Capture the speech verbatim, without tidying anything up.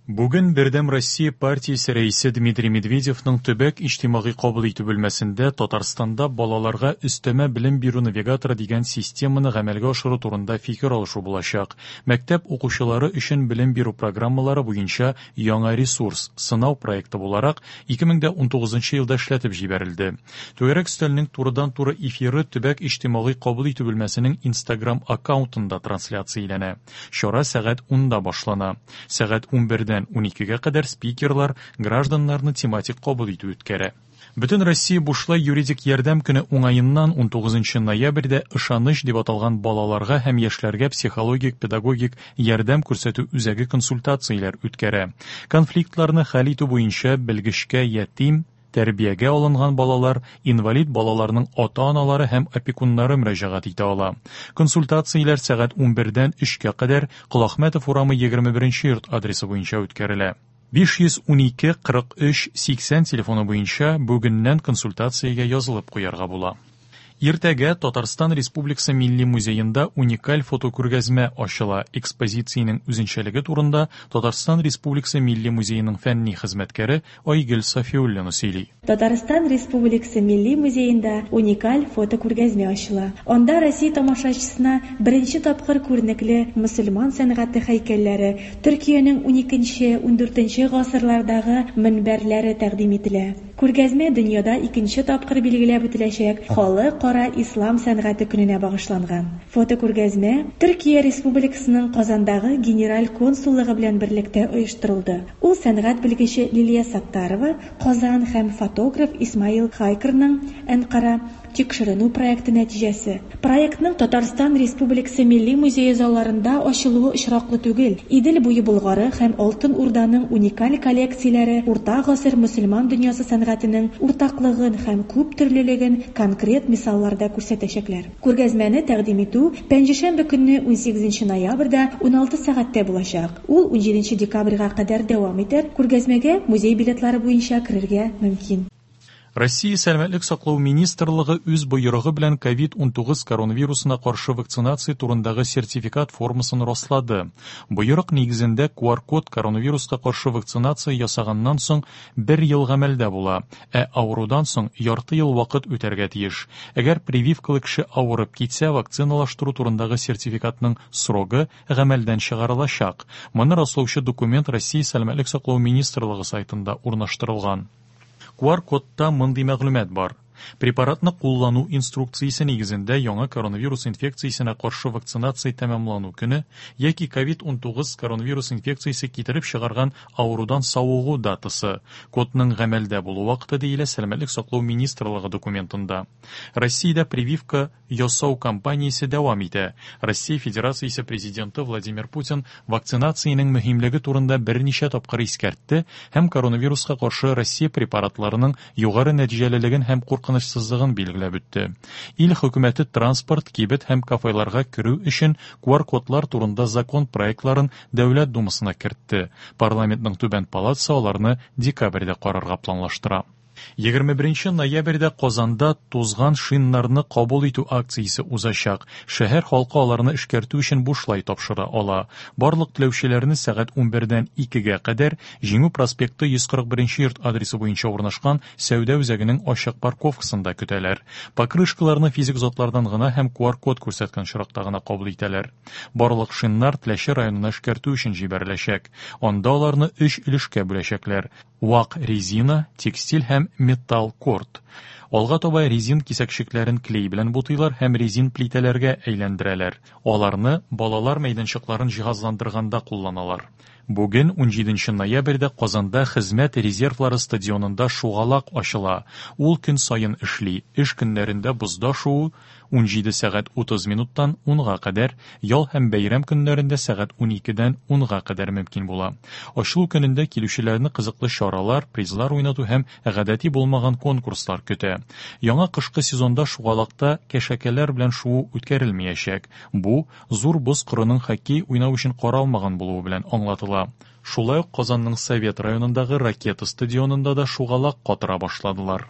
Бүген Бердәм Россия партиясе рәисе Дмитрий Медведевның төбәк иҗтимагый кабул итү бүлмәсендә Татарстанда балаларга өстәмә белем бирү навигаторы дигән системаны гамәлгә ашыру турында фикер алышу булачак. Мәктәп укучылары өчен белем бирү программалары буенча яңа ресурс, сынау проекты буларак, ике мең дә унтугызынчы елда эшләтеп җибәрелде. Түгәрәк өстәлнең турыдан-туры эфиры төбәк иҗтимагый кабул итү бүлмәсенең Instagram аккаунтында трансляцияләнә. Чара сәгать унда башлана. Сәгать унбердән уникегә кадәр спикерлар гражданнарны тематик кабул итү үткәрә. Бөтен Россия бушлай юридик ярдәм көне уңаеннан унтугызынчы ноябрьдә ышаныч дип аталган балаларга һәм яшьләргә психологик, педагогик ярдәм күрсәтү үзәге консультацияләр үткәрә. Конфликтларны хәл итү буенча белгечкә ятим, тәрбиягә алынган балалар, инвалид балаларның ата-аналары һәм опекуннары мөрәҗәгать итә ала. Консультацияләр сәгать унбердән өчкә кадәр Колахмәтов урамы егерме беренче йорт адресы буенча үткәрелә. Биш йөз унике кырык өч сиксән телефоны буенча бүгеннән консультациягә язылып куярга була. Иртәгә Татарстан Республикасы Милли музеенда уникаль фотокүргәзмә ачыла. Экспозициянең үзенчәлеге турында Татарстан Республикасы Милли музееның фәнни хезмәткәре Айгөл Сафиуллина сөйли. Татарстан Республикасы Милли музеенда уникаль фотокүргәзмә ачыла. Анда Россия тамашачысына беренче тапкыр күренекле мөселман сәнгате һәйкәлләре, Төркиянең уникенче, ундүртенче гасырлардагы мөнбәрләре тәкъдим ителә. Күргәзмә дөньяда икенче тапкыр билгеләп үтеләчәк Халыкара ислам сәнгате көненә багышланган. Фотокүргәзмә Төркия Республикасының Казандагы генераль консуллыгы белән берлектә оештырылды. Ул сәнгать белгече Лилия Саттарова, Казан һәм фотограф Исмаил Хайкерның Әнкара тикшеренү проекты нәтиҗәсе. Проектның Татарстан Республикасы Милли музее залларында ачылуы очраклы түгел. Идел буе Болгары һәм Алтын Урданың уникаль коллекцияләре Урта гасыр мөселман дөньясы сәнгатенең уртаклыгын һәм күп төрлелеген конкрет мисалларда күрсәтәчәкләр. Күргәзмәне тәкъдим итү пәнҗешәмбе көнне унсигезенче ноябрьдә уналты сәгатьтә булачак. Ул унҗиденче декабрьгә кадәр дәвам итәр. Күргәзмәгә музей билетлары буенча керергә мөмкин. Россия Сәламәтлек саклау министрлыгы үз боерыгы белән ковид унтугыз коронавирусына каршы вакцинация турындагы сертификат формасын раслады. Боерык нигезендә ку ар код коронавируска каршы вакцинация ясаганнан соң бер ел гамәлдә була, ә авырудан соң ярты ел вакыт үтәргә тиеш. Әгәр прививкалы кеше авырып китсә, вакциналаштыру турындагы сертификатның срогы гамәлдән чыгарылачак. Моны раслаучы документ Россия Сәламәтлек саклау министрлыгы сайтында урнаштырылган. ку ар кодта мондый мәгълүмат бар. Препаратны куллану инструкциясе нигезендә яңа коронавирус инфекциясенә каршы вакцинация тәмамлану көне яки ковид унтугыз коронавирус инфекциясе китереп чыгарган авырудан савыгу датасы. Кодның гамәлдә булу вакыты диелә Сәламәтлек саклау министрлыгы документында. Россиядә прививка ясау кампаниясе дәвам итә. Россия Федерациясе президенты Владимир Путин вакцинациянең мөһимлеге турында берничә тапкыр искәртте һәм коронавируска каршы Россия препаратларының югары нәтиҗәлелеген һәм куркынычсызлыгын билгеләп үтте. Ил хөкүмәте транспорт, кибет һәм кафеларга керү өчен ку ар кодлар турында закон проектларын Дәүләт Думасына кертте. Парламентның түбән палатасы аларны декабрьдә карарга планлаштыра. Егерме беренче ноябрьдә Казанда тузган шиннарны кабул итү акциясе узачак. Шәһәр халкы аларны эшкәртү өчен бушлай тапшыра ала. Барлык теләүчеләрне сәгать унбердән икегә кадәр Җиңү проспекты йөз кырык беренче йорт адресы буенча урнашкан сәүдә үзәгенең ачык парковкасында көтәләр. Покрышкаларны физик затлардан гына һәм ку ар код күрсәткән очракта гына кабул итәләр. Барлык шиннар Теләче районына эшкәртү өчен җибәреләчәк. Анда аларны өч өлешкә бүләчәкләр. Вак резина, текстиль һәм металл корт. Алга таба резин кисәкчекләрен клей белән бутыйлар һәм резин плитәләргә әйләндерәләр. Аларны балалар мәйданчыкларын җиһазландырганда кулланалар. Бүген унҗиденче ноябрьдә Казанда хезмәт резервлары стадионында шугалак ачыла. Ул көн саен эшли. Эш көннәрендә бозда шуу унҗиде сәгать утыз минуттан унга кадәр, ял һәм бәйрәм көннәрендә сәгать уникедән унга кадәр мөмкин була. Ачылу көнендә килүчеләрне кызыклы чаралар, призлар уйнату һәм гадәти булмаган конкурслар көтә. Яңа кышкы сезонда шугалакта кәшәкәләр белән шуу үткәрелмәячәк. Бу зур боз кырының хоккей уйнау өчен каралмаган булуы белән аңлатыла. Шулай ук Казанның Совет районындагы Ракета стадионында да шугалак катыра башладылар.